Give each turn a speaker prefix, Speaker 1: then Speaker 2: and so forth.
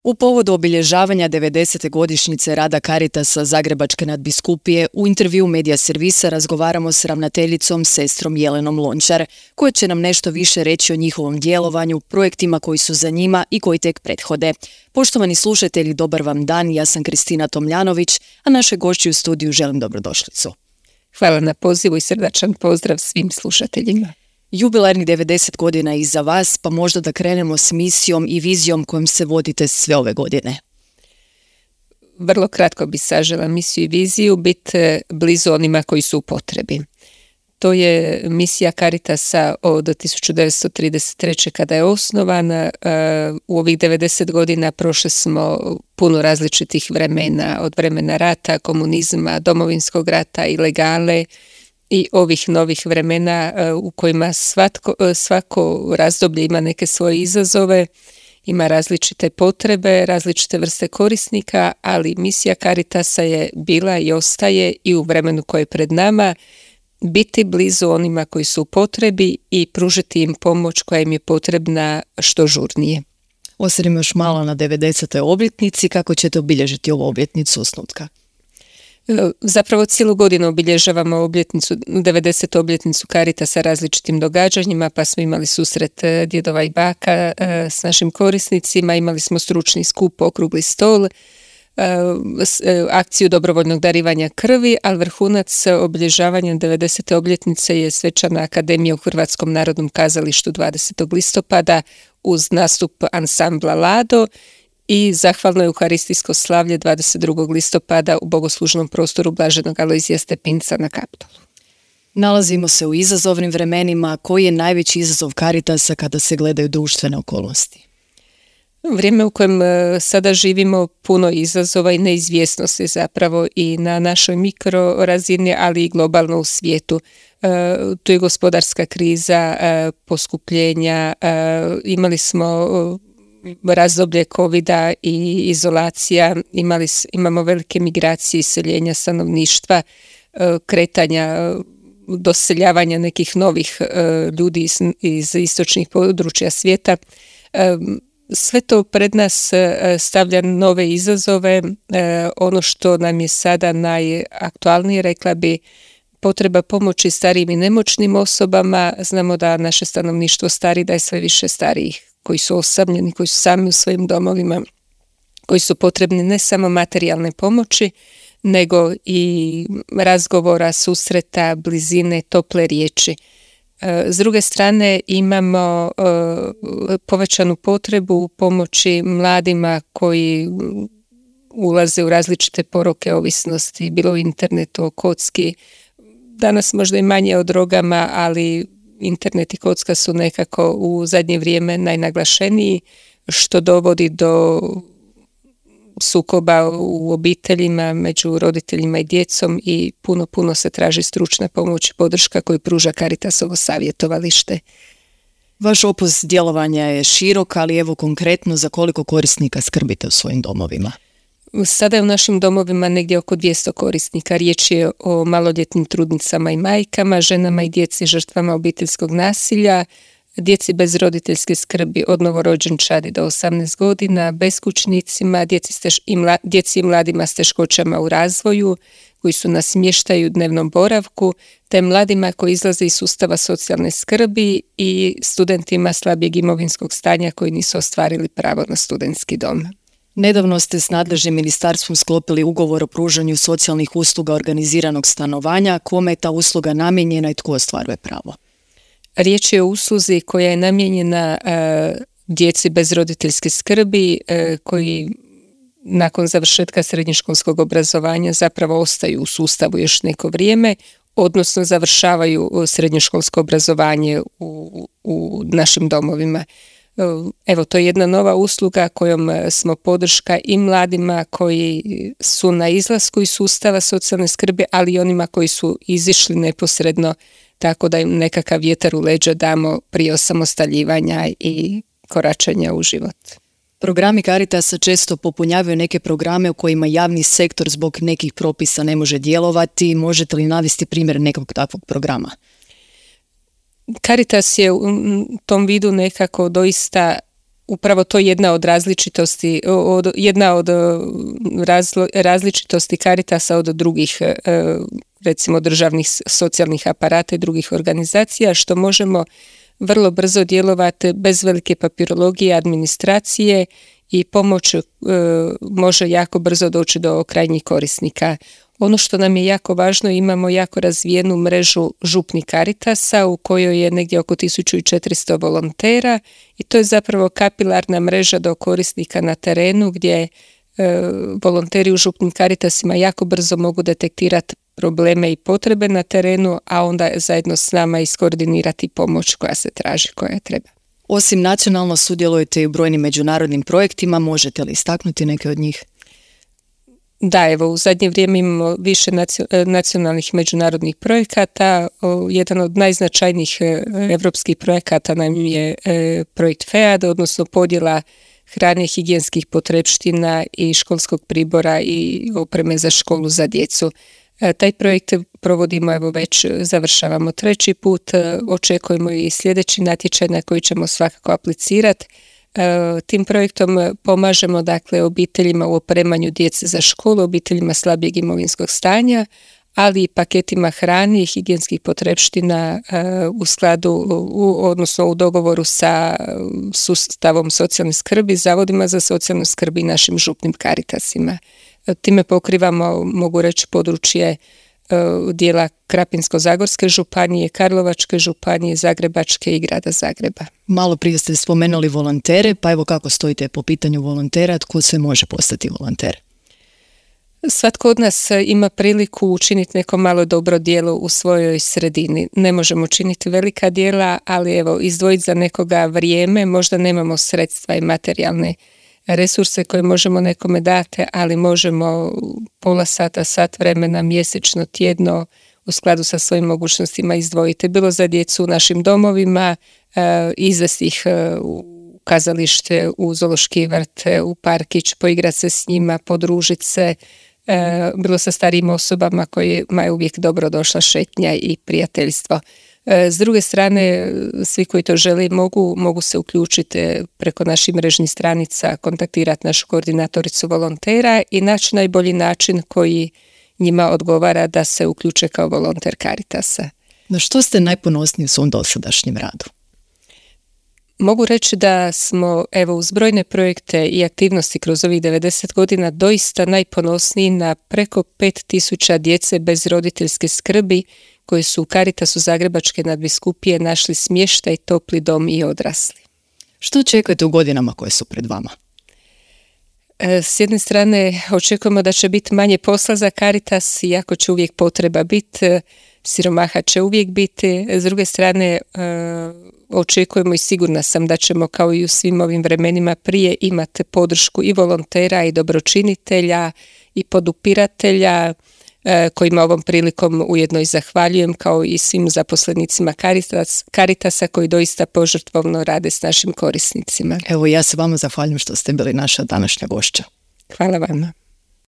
Speaker 1: U povodu obilježavanja 90. godišnjice rada Caritasa Zagrebačke nadbiskupije u intervju Medija Servisa razgovaramo s ravnateljicom sestrom Jelenom Lončar, koja će nam nešto više reći o njihovom djelovanju, projektima koji su za njima i koji tek prethode. Poštovani slušatelji, dobar vam dan, ja sam Kristina Tomljanović, a naše gošći u studiju želim dobrodošlicu.
Speaker 2: Hvala na pozivu i srdačan pozdrav svim slušateljima.
Speaker 1: Jubilarnih 90 godina je iza vas, pa možda da krenemo s misijom i vizijom kojom se vodite sve ove godine.
Speaker 2: Vrlo kratko bi sažela misiju i viziju, biti blizu onima koji su u potrebi. To je misija Caritasa od 1933. kada je osnovana. U ovih 90 godina prošli smo puno različitih vremena, od vremena rata, komunizma, domovinskog rata, ilegale, i ovih novih vremena u kojima svako razdoblje ima neke svoje izazove, ima različite potrebe, različite vrste korisnika, ali misija Caritasa je bila i ostaje i u vremenu koje je pred nama biti blizu onima koji su u potrebi i pružiti im pomoć koja im je potrebna što žurnije.
Speaker 1: Osvrnimo još malo na 90. obljetnici, kako ćete obilježiti ovu obljetnicu osnutka?
Speaker 2: Zapravo cijelu godinu obilježavamo 90. obljetnicu Caritasa različitim događanjima, pa smo imali susret djedova i baka s našim korisnicima, imali smo stručni skup, okrugli stol, akciju dobrovoljnog darivanja krvi, ali vrhunac obilježavanja 90. obljetnice je svečana akademija u Hrvatskom narodnom kazalištu 20. listopada uz nastup ansambla Lado i zahvalno euharistijsko slavlje 22. listopada u bogoslužnom prostoru Blaženog Alojzija Stepinca na Kaptolu.
Speaker 1: Nalazimo se u izazovnim vremenima. Koji je najveći izazov Caritasa kada se gledaju društvene okolnosti?
Speaker 2: Vrijeme u kojem sada živimo puno izazova i neizvjesnosti zapravo i na našoj mikrorazini, ali i globalno u svijetu. Tu je gospodarska kriza, poskupljenja, imali smo razdoblje covida i izolacija, imamo velike migracije, iseljenja stanovništva, kretanja, doseljavanja nekih novih ljudi iz istočnih područja svijeta. Sve to pred nas stavlja nove izazove. Ono što nam je sada najaktualnije, rekla bi, potreba pomoći starijim i nemoćnim osobama. Znamo da naše stanovništvo stari, da je sve više starijih koji su osamljeni, koji su sami u svojim domovima, koji su potrebni ne samo materijalne pomoći, nego i razgovora, susreta, blizine, tople riječi. S druge strane imamo povećanu potrebu pomoći mladima koji ulaze u različite poroke ovisnosti, bilo u internetu, o kocki. Danas možda i manje o drogama, ali internet i kocka su nekako u zadnje vrijeme najnaglašeniji, što dovodi do sukoba u obiteljima, među roditeljima i djecom i puno se traži stručna pomoć i podrška koju pruža Caritasovo savjetovalište.
Speaker 1: Vaš opus djelovanja je širok, ali evo konkretno za koliko korisnika skrbite u svojim domovima?
Speaker 2: Sada je u našim domovima negdje oko 200 korisnika. Riječ je o maloljetnim trudnicama i majkama, ženama i djeci žrtvama obiteljskog nasilja, djeci bez roditeljske skrbi od novorođenčadi do 18 godina, beskućnicima, djeci i mladima s teškoćama u razvoju koji su na smještaju dnevnom boravku, te mladima koji izlaze iz sustava socijalne skrbi i studentima slabijeg imovinskog stanja koji nisu ostvarili pravo na studentski dom.
Speaker 1: Nedavno ste s nadležnim ministarstvom sklopili ugovor o pružanju socijalnih usluga organiziranog stanovanja. Kome je ta usluga namijenjena i tko ostvaruje pravo?
Speaker 2: Riječ je o usluzi koja je namijenjena djeci bez roditeljske skrbi koji nakon završetka srednjoškolskog obrazovanja zapravo ostaju u sustavu još neko vrijeme, odnosno završavaju srednjoškolsko obrazovanje u našim domovima. Evo, to je jedna nova usluga kojom smo podrška i mladima koji su na izlasku iz sustava socijalne skrbi, ali i onima koji su izišli neposredno, tako da im nekakav vjetar u leđa damo prije osamostaljivanja i koračanja u život.
Speaker 1: Programi Caritasa često popunjavaju neke programe u kojima javni sektor zbog nekih propisa ne može djelovati. Možete li navesti primjer nekog takvog programa?
Speaker 2: Caritas je u tom vidu nekako doista upravo to jedna od različitosti, različitosti Caritasa od drugih recimo državnih socijalnih aparata i drugih organizacija, što možemo vrlo brzo djelovati bez velike papirologije, administracije i pomoć može jako brzo doći do krajnjih korisnika. Ono što nam je jako važno, imamo jako razvijenu mrežu župnih Caritasa u kojoj je negdje oko 1400 volontera i to je zapravo kapilarna mreža do korisnika na terenu gdje volonteri u župnim Caritasima jako brzo mogu detektirati probleme i potrebe na terenu, a onda zajedno s nama iskoordinirati pomoć koja se traži, koja treba.
Speaker 1: Osim nacionalno sudjelujete i u brojnim međunarodnim projektima, možete li istaknuti neke od njih?
Speaker 2: Da, evo, u zadnje vrijeme imamo više nacionalnih međunarodnih projekata. Jedan od najznačajnijih evropskih projekata nam je projekt FEAD, odnosno podjela hrane, higijenskih potrepština i školskog pribora i opreme za školu za djecu. Taj projekt provodimo, evo već završavamo 3. put, očekujemo i sljedeći natječaj na koji ćemo svakako aplicirati. Tim projektom pomažemo dakle obiteljima u opremanju djece za školu, obiteljima slabijeg imovinskog stanja, ali i paketima hrane i higijenskih potrepština u skladu, odnosno u dogovoru sa sustavom socijalne skrbi, zavodima za socijalnu skrb i našim župnim Caritasima. Time pokrivamo, mogu reći, područje dijela Krapinsko-zagorske županije, Karlovačke županije, Zagrebačke i grada Zagreba.
Speaker 1: Malo prije ste spomenuli volontere, pa evo kako stojite po pitanju volontera, tko sve može postati volonter?
Speaker 2: Svatko od nas ima priliku učiniti neko malo dobro djelo u svojoj sredini. Ne možemo činiti velika djela, ali evo, izdvojiti za nekoga vrijeme, možda nemamo sredstva i materijalne resurse koje možemo nekome dati, ali možemo pola sata, sat vremena, mjesečno, tjedno u skladu sa svojim mogućnostima izdvojiti. Bilo za djecu u našim domovima, izvesti ih u kazalište, u zoološki vrt, u parkić, poigrati se s njima, podružiti se, bilo sa starijim osobama kojima je uvijek dobro došla šetnja i prijateljstvo. S druge strane, svi koji to žele mogu se uključiti preko naših mrežnih stranica, kontaktirati našu koordinatoricu volontera i naći najbolji način koji njima odgovara da se uključe kao volonter Caritasa.
Speaker 1: Na što ste najponosniji u svom dosadašnjem radu?
Speaker 2: Mogu reći da smo uz brojne projekte i aktivnosti kroz ovih 90 godina doista najponosniji na preko 5000 djece bez roditeljske skrbi koji su u Caritasu Zagrebačke nadbiskupije našli smještaj, topli dom i odrasli.
Speaker 1: Što očekujete u godinama koje su pred vama?
Speaker 2: S jedne strane očekujemo da će biti manje posla za Caritas, iako će uvijek potreba biti, siromaha će uvijek biti. S druge strane očekujemo i sigurna sam da ćemo kao i u svim ovim vremenima prije imati podršku i volontera i dobročinitelja i podupiratelja kojima ovom prilikom ujedno i zahvaljujem, kao i svim zaposlenicima Caritasa koji doista požrtvovno rade s našim korisnicima.
Speaker 1: Evo, ja se vama zahvaljujem što ste bili naša današnja gošća.
Speaker 2: Hvala vama.